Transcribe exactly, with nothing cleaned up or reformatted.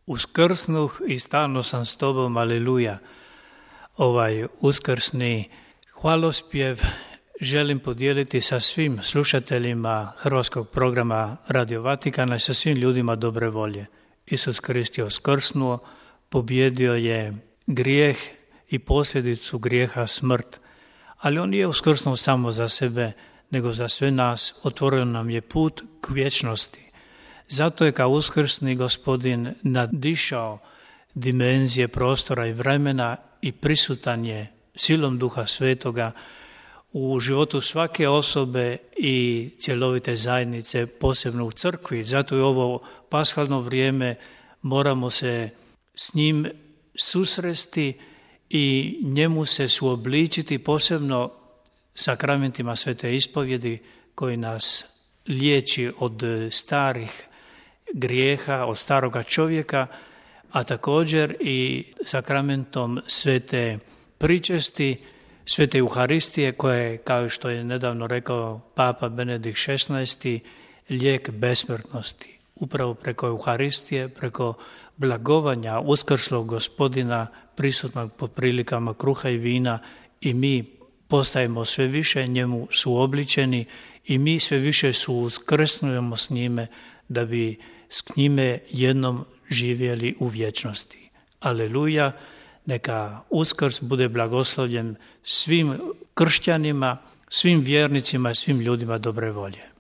Uskrsnuh i stalno sam s tobom, aleluja. Ovaj uskrsni hvalospjev želim podijeliti sa svim slušateljima hrvatskog programa Radio Vatikana i sa svim ljudima dobre volje. Isus Krist je uskrsnuo, pobjedio je grijeh i posljedicu grijeha smrt, ali on nije uskrsnuo samo za sebe, nego za sve nas, otvorio nam je put k vječnosti. Zato je kao uskrsni Gospodin nadišao dimenzije prostora i vremena i prisutan je silom Duha Svetoga u životu svake osobe i cjelovite zajednice, posebno u crkvi. Zato je ovo pashalno vrijeme, moramo se s njim susresti i njemu se suobličiti, posebno sakramentima Svete ispovjedi koji nas liječi od starih grijeha, od staroga čovjeka, a također i sakramentom Svete pričesti, Svete Euharistije, koja je, kao što je nedavno rekao Papa Benedikt šesnaesti, lijek besmrtnosti. Upravo preko Euharistije, preko blagovanja uskrslog Gospodina, prisutnog pod prilikama kruha i vina, i mi postajemo sve više njemu suobličeni i mi sve više suuskrsnujemo s njime da bi s njime jednom živjeli u vječnosti. Aleluja, neka Uskrs bude blagoslovljen svim kršćanima, svim vjernicima i svim ljudima dobre volje.